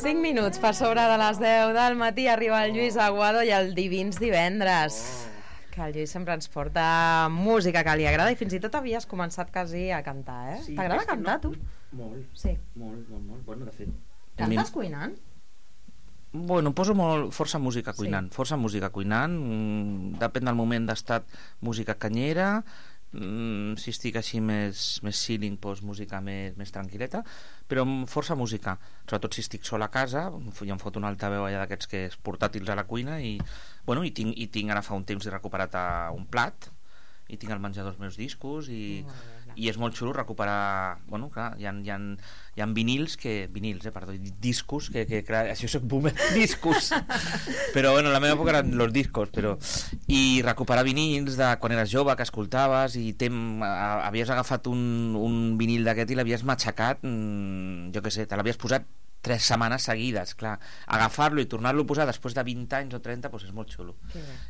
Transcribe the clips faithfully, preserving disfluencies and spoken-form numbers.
cinc minuts per sobre de les deu del matí arriba el Lluís Aguado i el Divins Divendres. Que el Lluís sempre ens porta música que li agrada i fins i tot havies començat quasi a cantar, eh? Sí, T'agrada cantar, no, tu? Molt, sí. molt, molt, molt. Bueno, de fet... Cantes cuinant? Bueno, poso molt, força música cuinant, sí. força música cuinant, mm, depèn del moment d'estat, música canyera, mm, si estic així més, més chilling, doncs música més, més tranquil·leta, però força música, sobretot si estic sol a casa, ja em fot un altaveu allà d'aquests que és portàtils a la cuina i, bueno, i, tinc, i tinc ara fa un temps he recuperat un plat i tinc al menjador els meus discos i, mm, i és molt xulo recuperar, bueno, clar, hi ha, hi ha, hi ha vinils que, vinils, eh, perdó, discos que, que clar, això soc boomer, discos però bueno, la meva època eren los discos però, i recuperar vinils de quan eres jove, que escoltaves i tem, havies agafat un, un vinil d'aquest i l'havies matxacat, mmm, jo què sé, te l'havies posat tres setmanes seguides, clar, agafar-lo i tornar-lo a posar després de vint anys o trenta, doncs és molt xulo.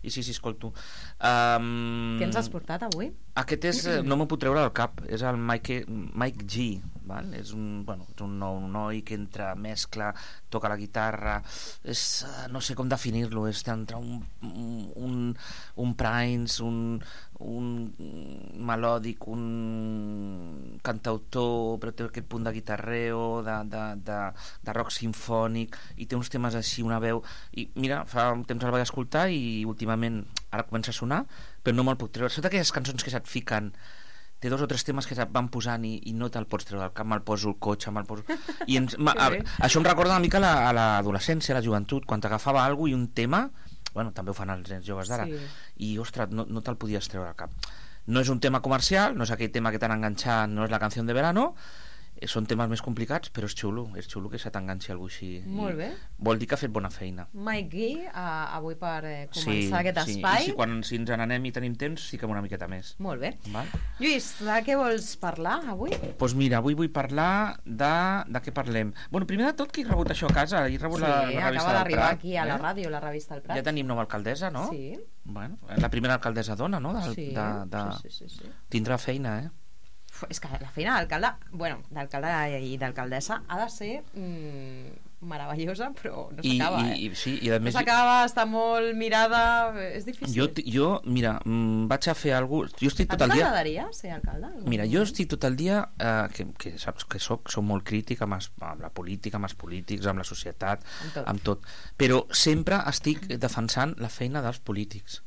I sí, sí, escolto. Um, Què ens has portat avui? Aquest és, no m'ho puc treure del cap, és el Mike, Mike G, val? És un, bueno, és un nou noi que entra, mescla, toca la guitarra, és, no sé com definir-lo, és entre un, un, un Prince, un, un melòdic, un cantautor, però té aquest punt de guitarreo, de, de, de, de rock sinfònic, i té uns temes així, una veu, i mira, fa un temps el vaig escoltar i últimament ara comença a sonar, però no me'l puc treure. Són d'aquelles cançons que se't fiquen, té dos o tres temes que se't van posant i, i no te'l pots treure del cap, me'l poso el cotxe, me'l poso... I ens, ma, a, això em recorda una mica la, a l'adolescència, a la joventut, quan t'agafava alguna cosa i un tema, bueno, també ho fan els nens joves d'ara, sí. I ostres, no, no te'l podies treure al cap. No és un tema comercial, no és aquell tema que t'han enganxat, no és la canció de verano, són temes més complicats, però és xulo, és xulo que se t'enganxi algú així. Molt bé. Vol dir que ha fet bona feina. Mike G, uh, avui per eh, començar sí, aquest sí. espai. I si, quan, si ens n'anem i tenim temps, sí que una miqueta més. Molt bé. Val? Lluís, de què vols parlar avui? Doncs pues mira, avui vull parlar de, de què parlem. Bueno, primer de tot, qui ha rebut això a casa? He rebut sí, la, la revista del Prat. Sí, acaba d'arribar aquí a la ràdio, la revista del Prat. Ja tenim nova alcaldessa, no? Sí. Bueno, la primera alcaldessa dona, no? De, sí, de, de... sí, sí, sí, sí. Tindrà feina, eh? És que la feina d'alcalde, bueno, d'alcalde i d'alcaldessa ha de ser mm, meravellosa, però no s'acaba, eh? I, sí, i a més, no s'acaba, està molt mirada, és difícil. Jo, jo mira, vaig a fer alguna cosa... Jo estic tot a tu el dia... t'agradaria ser alcalde? Mira, jo estic tot el dia, eh, que, que saps que soc, soc molt crític amb, es, amb la política, amb els polítics, amb la societat, amb tot. amb tot, però sempre estic defensant la feina dels polítics.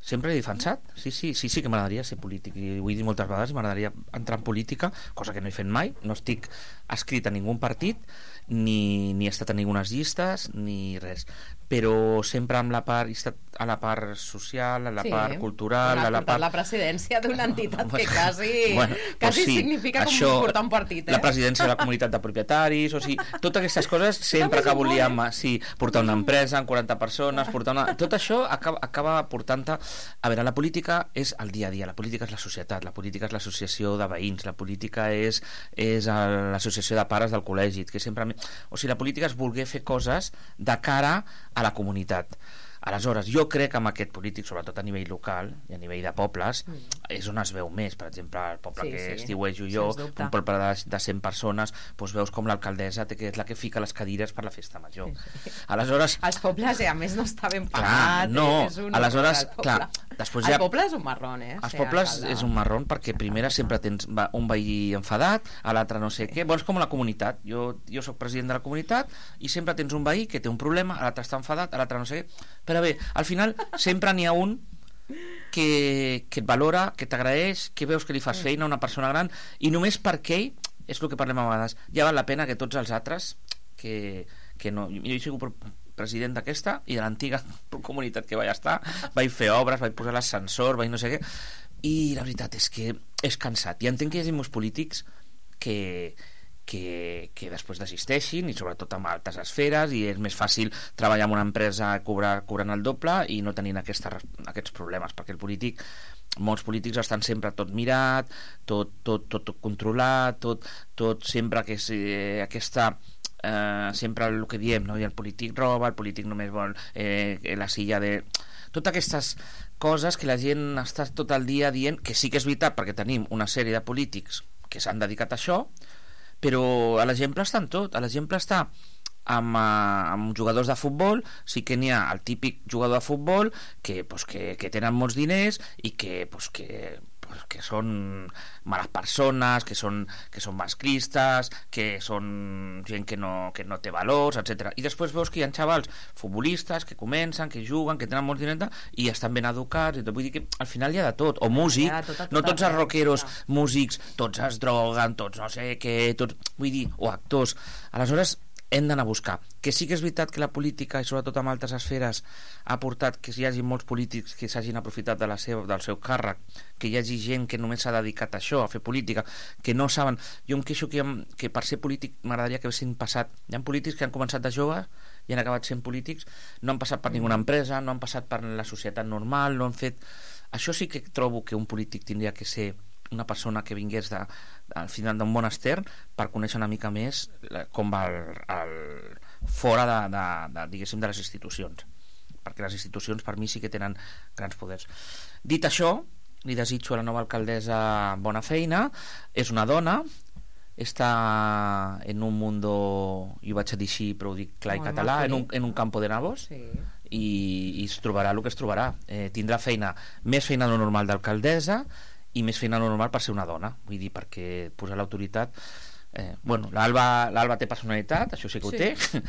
Sempre he defensat, sí, sí, sí, sí que m'agradaria ser polític i ho he dit moltes vegades, m'agradaria entrar en política, cosa que no he fet mai, no estic escrit a ningú partit ni, ni he estat a ningunes llistes ni res, però sempre amb la part, he estat a la part social, a la sí, part cultural, a la part... la presidència d'una entitat que quasi, bueno, quasi sí, significa això, com portar un partit, eh? La presidència de la comunitat de propietaris, o sigui, totes aquestes coses sempre que volíem, sí, portar una empresa amb quaranta persones, portar una... tot això acaba, acaba portant-te. A veure, la política és el dia a dia, la política és la societat, la política és l'associació de veïns, la política és, és l'associació de pares del col·legi, que sempre... O sigui, la política és voler fer coses de cara a la comunitat. Aleshores, jo crec que amb aquest polític, sobretot a nivell local i a nivell de pobles, mm. és on es veu més. Per exemple, el poble sí, que sí. estiuejo jo, un poble de, de cent persones, doncs veus com l'alcaldessa que és la que fica les cadires per la festa major. Sí. Aleshores... Els pobles, eh, a més, no està ben pagat. Clar, no, és un aleshores, clar, després ja... El poble és un marrón, eh? Els pobles alcalde. És un marrón perquè primera sempre tens un veí enfadat, a l'altre no sé sí. què. Bueno, és com la comunitat. Jo, jo soc president de la comunitat i sempre tens un veí que té un problema, a l'altre està enfadat, a l'altre no sé què. Però bé, al final sempre n'hi ha un que, que et valora, que t'agraeix, que veus que li fas feina a una persona gran i només perquè ell, és el que parlem a vegades, ja val la pena que tots els altres que, que no... Jo he sigut president d'aquesta i de l'antiga comunitat que vaig estar, vaig fer obres, vaig posar l'ascensor, vaig no sé què, i la veritat és que és cansat. I entenc que hi hagi molts polítics que... Que, que després desisteixin i sobretot amb altes esferes i és més fàcil treballar en una empresa cobrar, cobrant el doble i no tenint aquesta, aquests problemes, perquè el polític, molts polítics estan sempre tot mirat, tot, tot, tot, tot controlat, tot, tot sempre que és eh, aquesta eh, sempre el que diem, no? I el polític roba, el polític només vol eh, la silla de... Totes aquestes coses que la gent està tot el dia dient, que sí que és veritat perquè tenim una sèrie de polítics que s'han dedicat a això, però a l'exemple està en tot. A l'exemple està amb, uh, amb jugadors de futbol sí que n'hi ha el típic jugador de futbol que, pues, que, que tenen molts diners i que, pues, que que són males persones, que són, que són masclistes, que són gent que no, que no té valors, etcètera. I després veus que hi ha xavals futbolistes que comencen, que juguen, que tenen molts diners i estan ben educats, i tot. Vull dir que al final hi ha de tot, o músic, tot, tot, no tots els rockeros músics, tots es droguen, tots no sé què, tots, vull dir, o actors. Aleshores hem d'anar a buscar. Que sí que és veritat que la política, i sobretot en altres esferes, ha portat que hi hagi molts polítics que s'hagin aprofitat de la seva, del seu càrrec, que hi hagi gent que només s'ha dedicat a això, a fer política, que no saben... Jo em queixo que, que per ser polític m'agradaria que haguessin passat... Hi ha polítics que han començat de joves i han acabat sent polítics, no han passat per ninguna empresa, no han passat per la societat normal, no han fet... Això sí que trobo que un polític tindria que ser una persona que vingués de, al final d'un monaster per conèixer una mica més com va el, el, fora de, de, de, diguéssim, de les institucions, perquè les institucions per mi sí que tenen grans poders. Dit això, li desitjo a la nova alcaldessa bona feina. És una dona, està en un mundo, jo vaig a dir així però ho dic clar i català, en un, en un campo de nabos, sí. i, i es trobarà el que es trobarà. Eh, tindrà feina, més feina de lo normal d'alcaldessa i més feina normal per ser una dona, vull dir, perquè posar l'autoritat, eh, bueno, l'Alba l'Alba té personalitat, això sí que ho sí. té,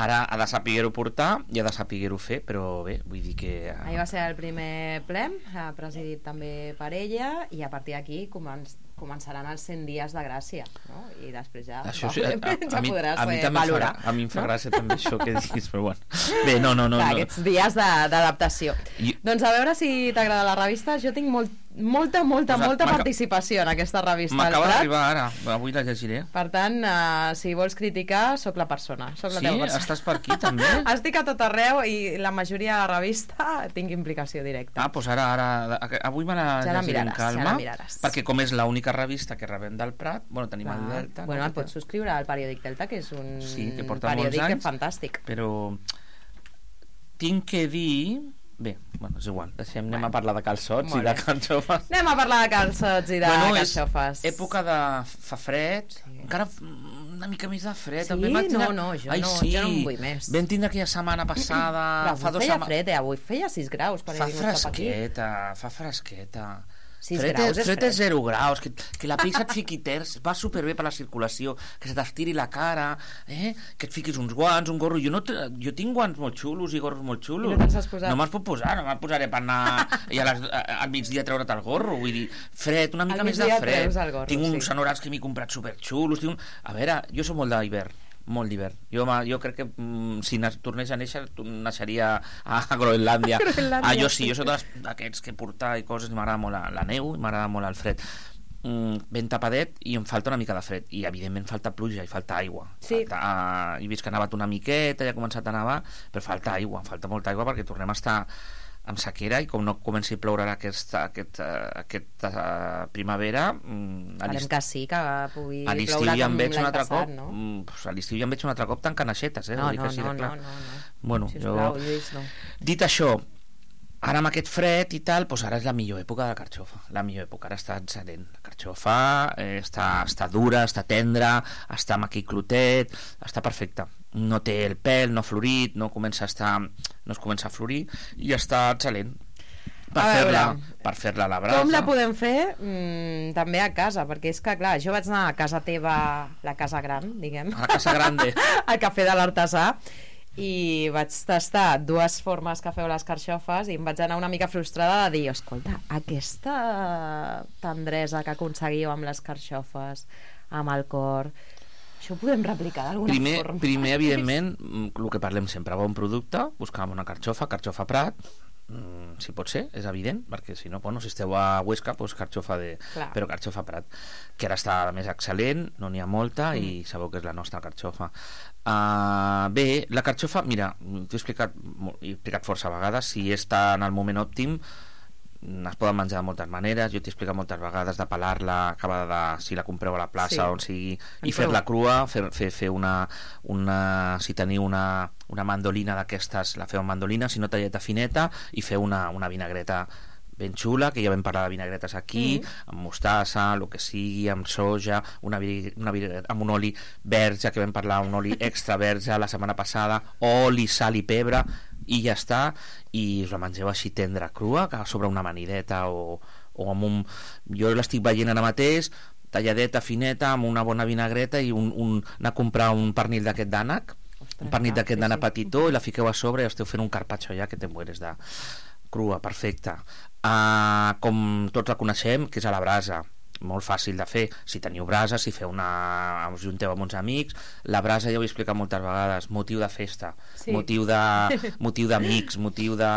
ara ha de saber-ho portar i ha de saber-ho fer, però bé, vull dir que... Ahir va ser el primer ple, presidit també per ella, i a partir d'aquí començ, començaran els cent dies de gràcia, no? I després ja, això sí, a, a, ja a mi, podràs a mi eh, valorar. Fa, a mi em fa no? gràcia també això que diguis, però bueno. Bé, no, no, no. Clar, no. Aquests dies d'adaptació. I... Doncs a veure si t'agrada la revista. Jo tinc molt, molta, molta, pues molta participació en aquesta revista. M'acaba d'arribar ara, avui la llegiré. Per tant, uh, si vols criticar, sóc la persona. Soc la sí? persona. Estàs per aquí també? Estic a tot arreu i la majoria de la revista tinc implicació directa. Ah, doncs ara, ara avui me la ja llegiré amb calma, ja la miraràs. Perquè com és l'única revista que rebem del Prat, bueno, tenim Clar. el Delta. Bueno, no? et pots subscriure al periòdic Delta, que és un sí, que porta periòdic molts anys, fantàstic. Però tinc que dir... Bé, bueno, és igual, deixem, bueno. anem a parlar de calçots i de carxofes. Anem a parlar de calçots i de bueno, carxofes. És època de... fa fred, sí. encara una mica més de fred. Sí? No, no, jo, Ai, no, sí. jo no en vull més. Vam tindre aquella setmana passada... Però fa dos feia sema... fred, eh? Avui feia sis graus. Per fa fresqueta, fa fresqueta. sis fred, graus és fred fred. és zero graus, que, que la pell se't fiqui terç, va superbé per la circulació, que se t'estiri la cara, eh? que et fiquis uns guants, un gorro. Jo, no jo tinc guants molt xulos i gorros molt xulos. I no te'ls has posat? No me'ls puc posar, no me'ls posaré per anar i a les, a, al migdia treure't el gorro. Vull dir, fred, una mica més de fred. Gorro, tinc uns sí. anoraks que m'he comprat superxulos. Tinc un... A veure, jo soc molt d'hivern. Molt d'hivern. Jo, jo crec que mm, si tornés a néixer naixeria a Groenlàndia. Ah, jo sí, jo soc d'aquests que portar i coses, m'agrada molt la, la neu i m'agrada molt el fred. Mm, ben tapadet i em falta una mica de fred i evidentment falta pluja i falta aigua. Sí. Falta, uh, he vist que ha nevat una miqueta, ja ha començat a nevar, però falta aigua, falta molta aigua perquè tornem a estar amb sequera i com no comenci a ploure aquesta, aquest, aquesta primavera a l'estiu que sí, que pugui a l'estiu ja em veig un altre passat, cop no? pues a l'estiu ja em veig un altre cop tancant aixetes eh? no, no, no, sí, no, no, no, no. Bueno, sisplau, jo... Lluís, no. Dit això, ara amb aquest fred i tal, doncs ara és la millor època de la carxofa, la millor època, ara està excel·lent la carxofa, eh, està, està dura, està tendra, està amb aquell clotet, està perfecta, no té el pèl, no ha florit, no comença a estar, no es comença a florir i està excel·lent per fer-la per fer-la a la brasa. Com la podem fer? Mm, també a casa, perquè és que clar, jo vaig anar a casa teva, la casa gran, diguem, a la casa grande al cafè de l'artesà, i vaig tastar dues formes que feu les carxofes i em vaig anar una mica frustrada de dir, escolta, aquesta tendresa que aconseguiu amb les carxofes, amb el cor, això ho podem replicar d'alguna primer, forma. Primer, evidentment, el que parlem sempre, bon producte, buscàvem una carxofa, carxofa Prat, mm, si pot ser, és evident, perquè si no, bueno, si esteu a Huesca, doncs carxofa de... Clar. Però carxofa Prat, que ara està més excel·lent, no n'hi ha molta, mm. i sabeu que és la nostra carxofa. Uh, bé, la carxofa, mira, t'ho he explicat, he explicat força vegades, si està en el moment òptim, es poden menjar de moltes maneres, jo t'he explicat moltes vegades de pelar-la, acabada de, si la compreu a la plaça, sí. on sigui, i fer-la crua, fer, fer, fer una, una, si teniu una, una mandolina d'aquestes, la feu amb mandolina, si no talleta fineta, i fer una, una vinagreta ben xula, que ja vam parlar de vinagretes aquí, mm. amb mostassa, el que sigui, amb soja, una, una vinagreta amb un oli verge, que vam parlar, un oli extra verge la setmana passada, oli, sal i pebre, i ja està, i us la mengeu així tendra, crua, que sobre una amanideta o, o amb un... Jo l'estic veient ara mateix, talladeta, fineta, amb una bona vinagreta i un, un, anar a comprar un pernil d'aquest d'ànec, un pernil d'aquest d'ànec petitó, i la fiqueu a sobre i esteu fent un carpaccio ja que te mueres de... crua, perfecta. Uh, com tots la coneixem, que és a la brasa, molt fàcil de fer. Si teniu brasa, si feu una... us junteu amb uns amics, la brasa ja ho he explicat moltes vegades, motiu de festa, sí. motiu de motiu d'amics, motiu de...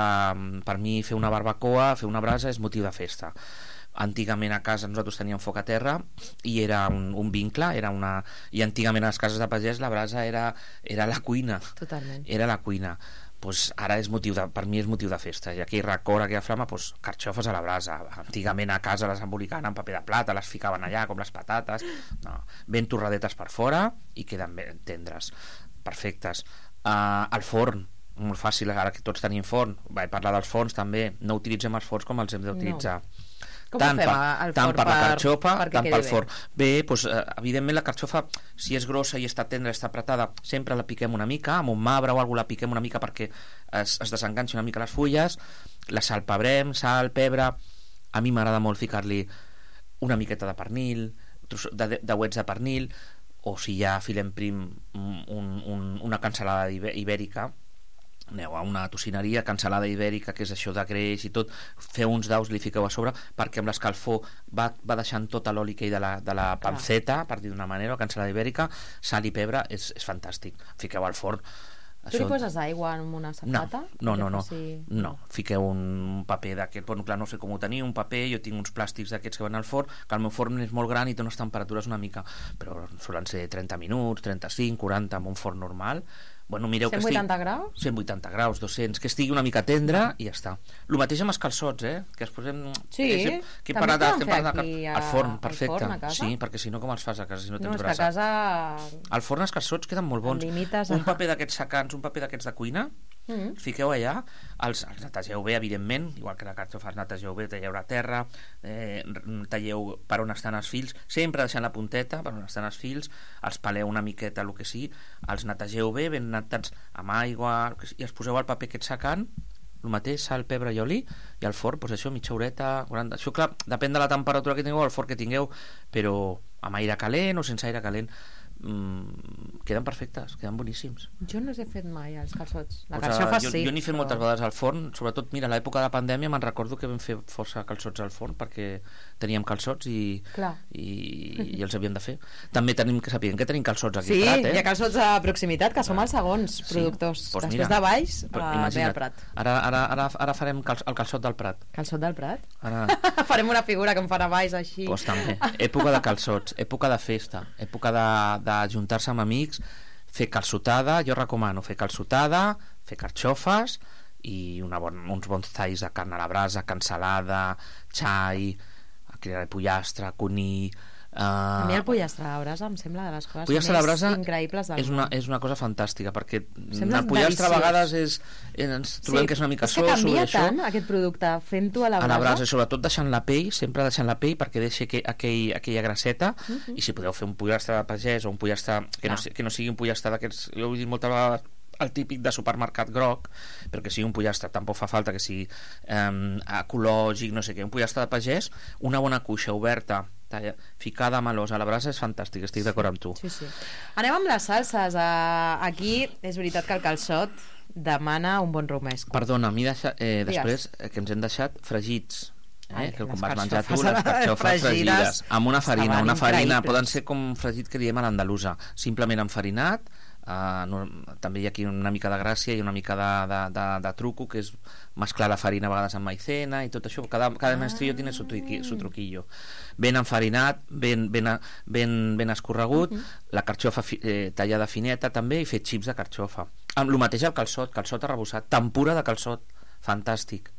per mi fer una barbacoa, fer una brasa és motiu de festa. Antigament a casa nosaltres teníem foc a terra i era un, un vincle, era una... i antigament a les cases de pagès la brasa era, era la cuina. Totalment. Era la cuina. Pues ara és motiu de, per mi és motiu de festa, i aquell racor, aquella flama, pues, carxofes a la brasa. Antigament a casa les embolicaven en paper de plata, les ficaven allà com les patates, no. Ben torradetes per fora i queden ben tendres, perfectes. Uh, al forn, molt fàcil, ara que tots tenim forn, vaig parlar dels forns també, no utilitzem els forns com els hem d'utilitzar. No. Com tant, ho fem per, al tant forn per la per, carxofa, per tant pel forn. Bé, bé doncs, eh, evidentment la carxofa, si és grossa i està tendra, està apretada, sempre la piquem una mica, amb un marbre o alguna cosa la piquem una mica perquè es, es desenganxi una mica les fulles, la salpebrem, sal, pebre. A mi m'agrada molt ficar-li una miqueta de pernil, de, de uets de pernil, o si ja filem prim un, un, una cansalada ibèrica, aneu a una tocineria, cansalada ibèrica, que és això de greix i tot, feu uns daus, li fiqueu a sobre, perquè amb l'escalfor va, va deixant tot l'oli que hi de la, de la panceta, per dir d'una manera, la cansalada ibèrica, sal i pebre, és, és fantàstic. Fiqueu al forn. Tu això... li poses aigua en una safata? No, no, no, no, no. Fiqueu un paper d'aquest, bueno, clar, no sé com ho teniu, un paper, jo tinc uns plàstics d'aquests que van al forn, que el meu forn és molt gran i té unes temperatures una mica, però solen ser trenta minuts, trenta-cinc, quaranta, amb un forn normal. Bueno, mireu cent vuitanta que estigui... graus? cent vuitanta graus, dos-cents, que estigui una mica tendra i ja està. El mateix amb els calçots, eh? Que es posem... Sí, eh, que també parada, poden fer aquí a... al forn, perfecte. Al forn a casa? Sí, perquè si no com els fas a casa si no tens no, és brasa? Que a casa... Al forn els calçots queden molt bons. Limites... Un paper d'aquests secants, un paper d'aquests de cuina, mm-hmm. fiqueu allà, els, els netegeu bé, evidentment, igual que la carxofa els netegeu bé, talleu la terra, eh, talleu per on estan els fils, sempre deixant la punteta per on estan els fils, els peleu una miqueta, el que sigui, els netegeu bé, ben netats amb aigua, i els poseu al paper aquest secant, el mateix, sal, pebre i oli, i al forn, doncs això, mitja horeta, quaranta... Això, clar, depèn de la temperatura que tingueu, el forn que tingueu, però amb aire calent o sense aire calent, mm, queden perfectes, queden boníssims. Jo no els he fet mai, els calçots. La pues, carxofa jo, sí. Jo n'he fet però... moltes vegades al forn, sobretot, mira, a l'època de la pandèmia me'n recordo que vam fer força calçots al forn perquè teníem calçots i, i, i els havíem de fer. També tenim que saber que tenim calçots aquí sí, al Prat, eh? Sí, hi ha calçots de proximitat, que som els segons sí, productors. Pues després mira, de Baix, uh, ve al Prat. Ara, ara, ara, ara farem cal, el calçot del Prat. Calçot del Prat? Ara... farem una figura que em farà Baix així. Pues també. Època de calçots, època de festa, època de, de juntar-se amb amics, fer calçotada, jo recomano fer calçotada, fer carxofes i una bon, uns bons talls de carn a la brasa, cansalada, xai, pollastre, conill. Uh, a mi el pollastre a la brasa em sembla de les coses més brasa increïbles del és una, món. És una cosa fantàstica perquè sembla el pollastre deliciós. A vegades és, ens trobem sí, que és una mica és que soso canvia això. Tant aquest producte fent-ho a la brasa, a la brasa, sobretot deixant la pell, sempre deixant la pell perquè deixi aquell, aquell, aquella grasseta uh -huh. i si podeu fer un pollastre de pagès o un pollastre que, no, que no sigui un pollastre d'aquests, jo ho he dit moltes vegades, el típic de supermercat groc, però que sigui un pollastre, tampoc fa falta que sigui eh, ecològic, no sé què, un pollastre de pagès, una bona cuixa oberta, talla, ficada a melós a la brasa és fantàstic, estic d'acord amb tu. Sí, sí. Anem amb les salses. Uh, aquí és veritat que el calçot demana un bon romesco. Perdona, a mi deixa, eh, després eh, que ens hem deixat fregits. Eh? Ai, que com vas menjar tu, les carxofes fregides, fregides amb una farina, una farina, poden ser com fregit que diem a l'andalusa, simplement enfarinat. Uh, no, també hi ha aquí una mica de gràcia i una mica de, de, de, de truco, que és mesclar la farina a vegades amb maicena i tot això, cada, cada maestrillo tiene su, truqui, su truquillo, ben enfarinat, ben, ben, ben, ben escorregut, uh -huh. la carxofa fi, eh, tallada fineta també, i fer xips de carxofa amb el mateix al calçot, calçot arrebossat, tempura de calçot, fantàstic,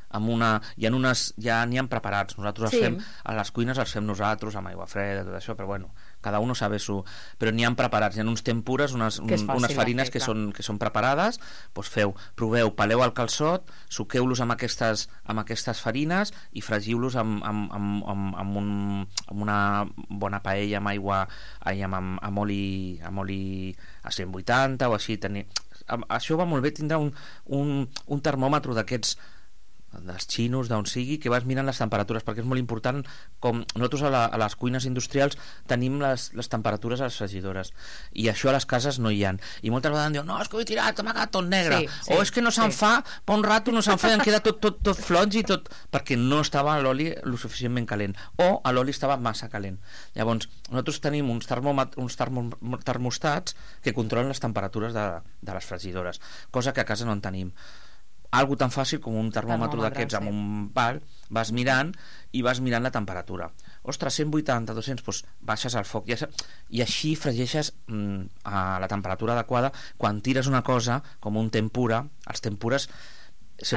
amb una, hi ha unes, ja n'hi ha preparats, nosaltres Sí. els fem, a les cuines els fem nosaltres, amb aigua freda, tot això, però bueno, cada un sabe su... Però n'hi ha preparats, hi ha uns tempures, unes, Que és un, fàcil unes de farines fer, que, clar. són, que són preparades, doncs feu, proveu, peleu el calçot, suqueu-los amb aquestes, amb aquestes farines i fregiu-los amb, amb, amb, amb, amb, un, amb una bona paella amb aigua, ai, amb, amb, amb, oli, amb oli a cent vuitanta o així. Tenir... Això va molt bé tindre un, un, un termòmetre d'aquests dels xinos, d'on sigui, que vas mirant les temperatures, perquè és molt important, com nosaltres a, la, a les cuines industrials tenim les, les temperatures a les fregidores, i això a les cases no hi ha, i moltes vegades diuen, no, és que ho he tirat, m'ha quedat tot negre, Sí, sí, o és que no se'n sí. fa, per un rato no se'n fa i em queda tot, tot, tot floig i tot, perquè no estava l'oli lo suficientment calent, o l'oli estava massa calent. Llavors, nosaltres tenim uns, termòmet, uns termo, termostats que controlen les temperatures de, de les fregidores, cosa que a casa no en tenim. Algo tan fàcil com un termòmetre Termòmetre, d'aquests sí. amb un pal, vas mirant i vas mirant la temperatura. Ostres, cent vuitanta, dos-cents, doncs baixes el foc. I, i així fregeixes mm, a la temperatura adequada. Quan tires una cosa, com un tempura, els tempures...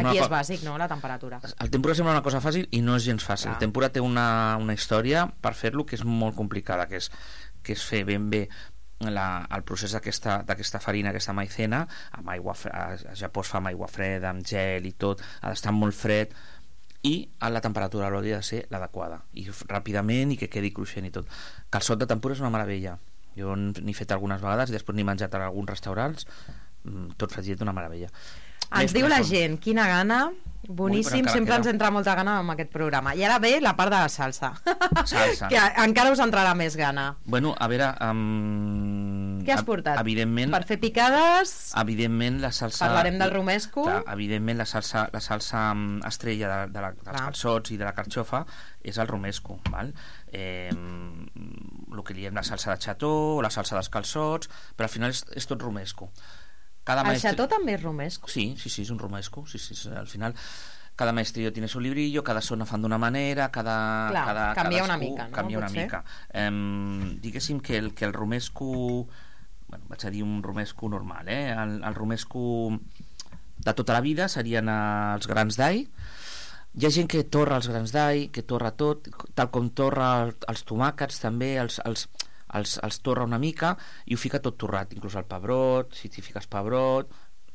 Aquí és bàsic, no?, la temperatura. El tempura sembla una cosa fàcil i no és gens fàcil. Clar. El tempura té una, una història per fer-lo que és molt complicada, que és, que és fer ben bé la, el procés d'aquesta farina, aquesta maicena, amb aigua, a, a Japó es fa amb aigua freda, amb gel i tot, ha d'estar molt fred, i a la temperatura de l'oli ha de ser l'adequada, i ràpidament, i que quedi cruixent i tot. Calçot de tempura és una meravella. Jo n'he fet algunes vegades i després n'he menjat a alguns restaurants, tot fregit, una meravella. Ens diu la gent, quina gana, boníssim, Ui, sempre queda. ens entra molta gana amb aquest programa. I ara ve la part de la salsa, Salsa. que encara us entrarà més gana. Bueno, a veure... Um, Què has portat? Evidentment... Per fer picades, Evidentment la salsa... parlarem del romesco. Clar, evidentment la salsa, la salsa mm, estrella de, de la, dels Clar. calçots i de la carxofa és el romesco, val? Eh, el que diem la salsa de xató o la salsa dels calçots, però al final és, és tot romesco. Cada El maestri... xató també és romesco. Sí, sí, sí, és un romesco. Sí, sí, sí, al final cada maestrillo tiene su librillo, cada zona fan d'una manera, cada, Clar, cada canvia cadascú una mica, no? canvia una Potser. mica. Eh, diguéssim que el, que el romesco, bueno, vaig a dir un romesco normal, eh? el, el romesco de tota la vida serien els grans d'all. Hi ha gent que torra els grans d'all, que torra tot, tal com torra el, els tomàquets també, els, els, els, els torra una mica i ho fica tot torrat, inclús el pebrot, si t'hi fiques pebrot,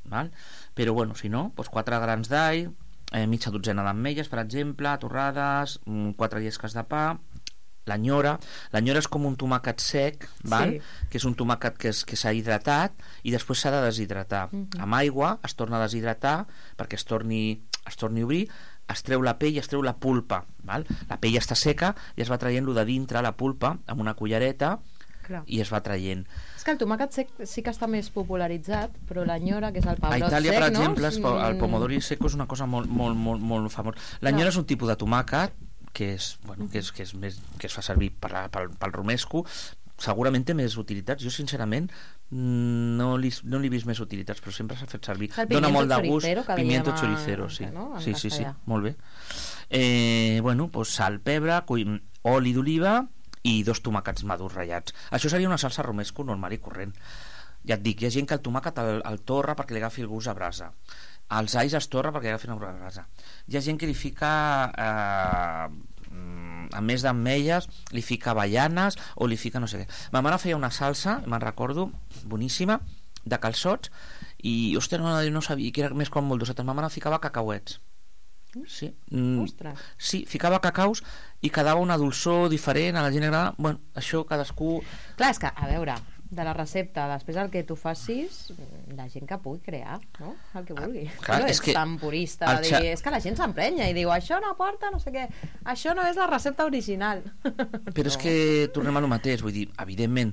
val? Però bueno, si no, doncs quatre grans d'all, eh, mitja dotzena d'ametlles, per exemple, torrades, mm, quatre llesques de pa, l'anyora. L'anyora és com un tomàquet sec, val? Sí. Que és un tomàquet que, és, que s'ha hidratat i després s'ha de deshidratar. Mhm. Amb aigua es torna a deshidratar perquè es torni, es torni a obrir, es treu la pell i es treu la pulpa, val? La pell està seca i es va traient lo de dintre, la pulpa, amb una cullereta, Clar. i es va traient. És que el tomàquet sec sí que està més popularitzat, però l'anyora, que és el A pebrot Itàlia, sec, per no? exemple, es, el Mm, pomodori seco és una cosa molt, molt, molt, molt famós. L'anyora és un tipus de tomàquet que és, bueno, que és, que és més, que es fa servir per la, pel, pel romesco. Segurament té més utilitats. Jo, sincerament, no li, no li he vist més utilitats, però sempre s'ha fet servir. El Dona pimiento molt de gust. choricero, que Pimiento dèiem a- choricero, sí. no? En Sí, sí, sí, castellà. molt bé. Eh, bueno, doncs sal, pebre, cull, oli d'oliva i dos tomàquets madurs ratllats. Això seria una salsa romesco normal i corrent. Ja et dic, hi ha gent que el tomàquet el, el torra perquè li agafi el gust a brasa. Els alls es torra perquè li agafin el gust a brasa. Hi ha gent que li fica... Eh, a més d'ametlles li fica avellanes o li fica no sé què. Ma mare feia una salsa, me'n recordo, boníssima, de calçots, i ostres, no, no sabia que era més com molt dosetes. Ma mare ficava cacauets. Sí. Mm, Ostres. sí, ficava cacaus i quedava una dolçor diferent, a la gent agrada. Bueno, això cadascú... Clar, és que, a veure, de la recepta, després el que tu facis, la gent que pugui crear, no? El que vulgui. clar, no és és que tan purista el de dir, xa- és que la gent s'emprenya i diu, això no aporta no sé què, això no és la recepta original. Però és que tornem a lo mateix, vull dir, evidentment,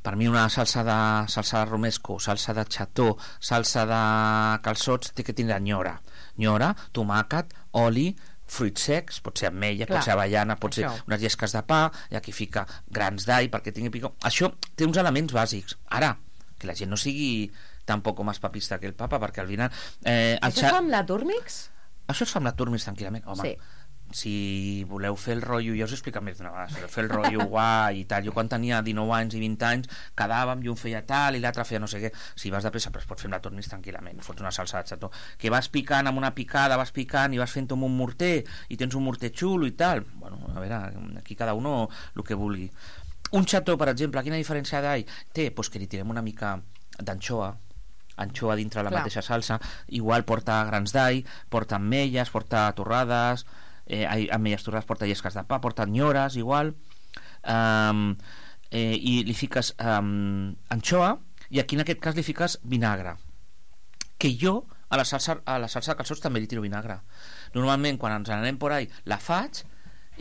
per mi una salsa de, salsa de romesco, salsa de xató, salsa de calçots, té que tindre nyora. Nyora, tomàquet, oli, fruits secs, pot ser ametlla, Clar, pot ser avellana, pot això. ser unes llesques de pa, i aquí fica grans d'all perquè tingui picor. Això té uns elements bàsics. Ara, que la gent no sigui tampoc més papista que el papa, perquè al final... Eh, el Això xa- fa amb la Turmix? Això es fa amb la Turmis tranquil·lament, home. Sí. si voleu fer el rotllo, ja us he explicat més d'una vegada, fer el rotllo guai i tal, jo quan tenia dinou anys i vint anys quedàvem i un feia tal i l'altre feia no sé què, si vas de pressa però es pot fer-la tot més tranquil·lament, fots una salsa de xató que vas picant amb una picada, vas picant i vas fent amb un morter i tens un morter xulo i tal, bueno, a veure aquí cada uno el que vulgui. Un xató, per exemple, quina diferència d'all té? Pues que li tirem una mica d'anxoa anxoa dintre la Clar. mateixa salsa, igual porta grans d'all, porta ametlles, porta torrades, eh, ametlles torrades, porta llesques de pa, porta nyores, igual, um, eh, i li fiques um, anxoa, i aquí en aquest cas li fiques vinagre, que jo a la salsa, a la salsa de calçots també li tiro vinagre. Normalment quan ens anem por ahí la faig,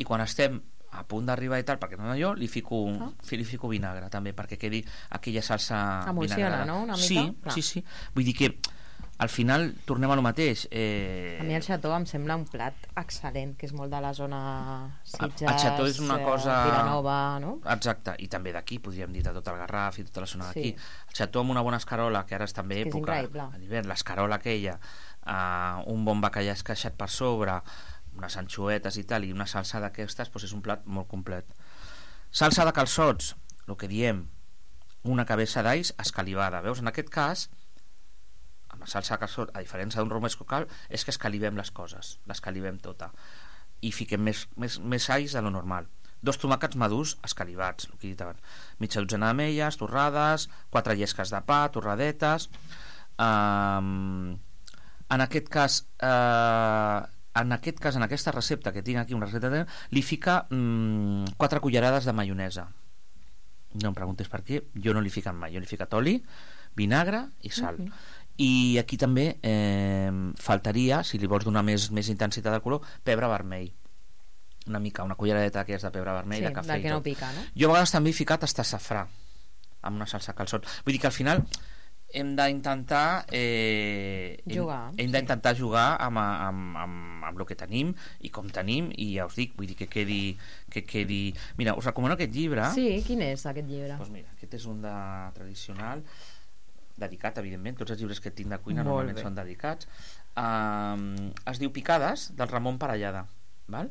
i quan estem a punt d'arribar i tal, perquè no jo li fico, ah. li fico vinagre també, perquè quedi aquella salsa emulsiona, no? Una mica? Sí, Clar. sí, sí. Vull dir que al final tornem a lo mateix. Eh... A mi el xató em sembla un plat excel·lent, que és molt de la zona Sitges, el xató és una cosa... eh, Vilanova, no? Exacte, i també d'aquí, podríem dir, de tot el Garraf i tota la zona d'aquí. Sí. El xató amb una bona escarola, que ara és també és època, a l'hivern, l'escarola aquella, eh, un bon bacallà esqueixat per sobre, unes anxoetes i tal, i una salsa d'aquestes, doncs és un plat molt complet. Salsa de calçots, el que diem, una cabeza d'alls escalivada. Veus, en aquest cas, amb la salsa de calçots, a diferència d'un romesco cal, és que escalivem les coses, l'escalivem tota, i fiquem més, més, més alls de lo normal. Dos tomàquets madurs escalivats, el que he dit abans. Mitja dotzena d'ametlles, torrades, quatre llesques de pa, torradetes. Um, en aquest cas... Uh, en aquest cas, en aquesta recepta que tinc aquí, una recepta de... li fica mmm, quatre cullerades de maionesa. No em preguntes per què, jo no li fico mai, jo li fico oli, vinagre i sal. Uh -huh. I aquí també eh, faltaria, si li vols donar més, més intensitat de color, pebre vermell. Una mica, una culleradeta d'aquelles de pebre vermell, sí, de cafè que i tot. No pica, no? Jo a vegades també he ficat hasta safrà amb una salsa calçot. Vull dir que al final hem d'intentar eh, jugar, hem, hem d'intentar jugar amb, amb, amb, amb el que tenim i com tenim, i ja us dic, vull dir que quedi, que quedi... Mira, us recomano aquest llibre. Sí, quin és aquest llibre? Doncs mira, aquest és un de tradicional, dedicat, evidentment, tots els llibres que tinc de cuina Molt normalment bé. són dedicats. Um, es diu Picades, del Ramon Parellada, val?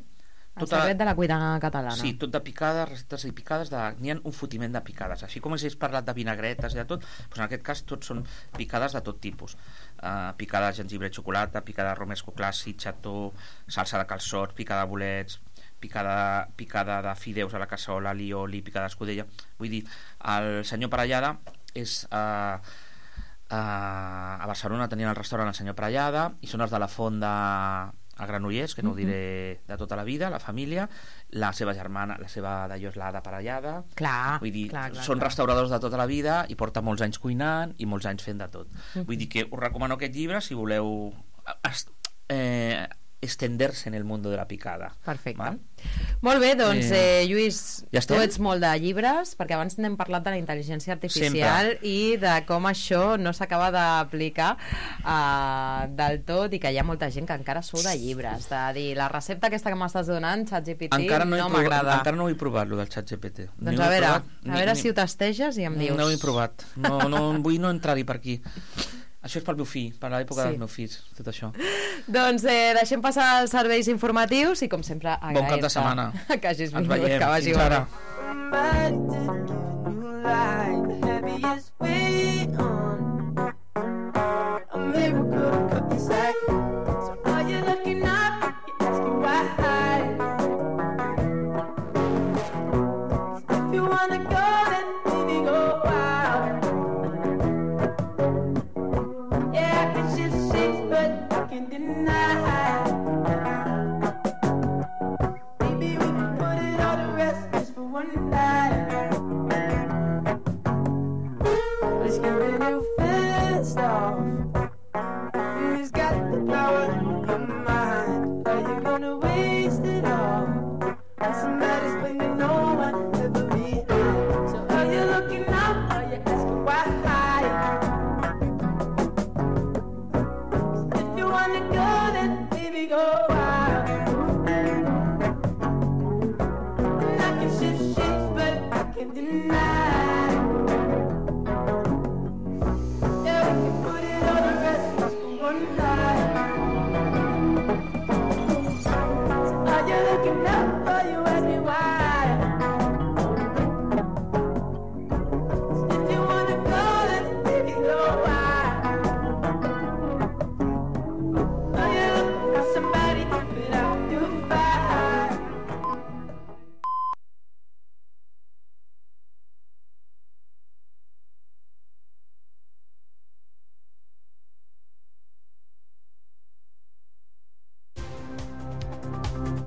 El tota... secret de la cuina catalana. Sí, tot de picades, receptes i picades, de... n'hi ha un fotiment de picades. Així com has parlat de vinagretes i de tot, doncs en aquest cas tots són picades de tot tipus. Uh, picada de gengibre i xocolata, picada de romesco clàssic, xató, salsa de calçots, picada de bolets, picada, picada de fideus a la cassola, alioli, picada d'escudella. Vull dir, el senyor Parellada és... Uh, uh, a Barcelona tenien el restaurant el senyor Parellada, i són els de la Font de... a Granollers, que no ho diré de tota la vida, la família, la seva germana, la seva d'allò és l'Ada Parellada. Clar, vull dir, clar, clar, són clar. restauradors de tota la vida i porta molts anys cuinant i molts anys fent de tot. Uh-huh. Vull dir que us recomano aquest llibre si voleu est eh, estenderse en el mundo de la picada. Perfecte. Val? Molt bé, doncs, eh, Lluís, ja tu ets molt de llibres, perquè abans n'hem parlat de la intel·ligència artificial Sempre. i de com això no s'acaba d'aplicar uh, del tot, i que hi ha molta gent que encara sou de llibres, de dir, la recepta aquesta que m'estàs donant, ChatGPT, encara no, no provat, m'agrada. encara no ho he provat, lo del ChatGPT. Doncs a veure, provat, a veure ni, si ho testeges i em dius. No ho he provat, no, no, vull no entrar-hi per aquí. Això és pel meu fill, per l'època sí. dels meus fills, tot això. Doncs eh, deixem passar els serveis informatius i, com sempre, agrair-te bon cap de setmana. que hagis vingut, veiem. que vagi Fins ara. But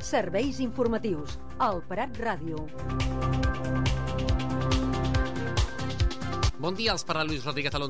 Serveis informatius. El Prat Ràdio. Bon dia, els parla Luis Rodríguez Alonso.